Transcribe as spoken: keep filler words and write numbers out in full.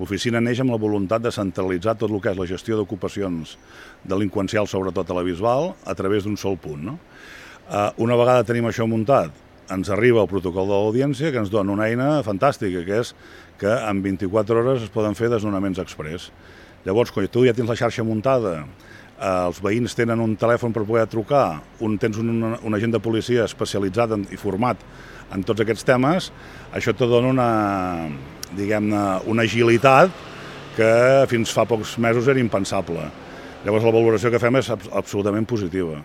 L'oficina neix amb la voluntat de centralitzar tot el que és la gestió d'ocupacions delinqüencials, sobretot a la Bisbal, a través d'un sol punt. No? Una vegada tenim això muntat, ens arriba el protocol de l'audiència que ens dona una eina fantàstica, que és que en vint-i-quatre hores es poden fer desnonaments express. Llavors, quan tu ja tens la xarxa muntada, els veïns tenen un telèfon per poder trucar, un, tens un, un agent de policia especialitzat en, i format en tots aquests temes, això te dona una, diguem-ne, una agilitat que fins fa pocs mesos era impensable. Llavors la valoració que fem és absolutament positiva.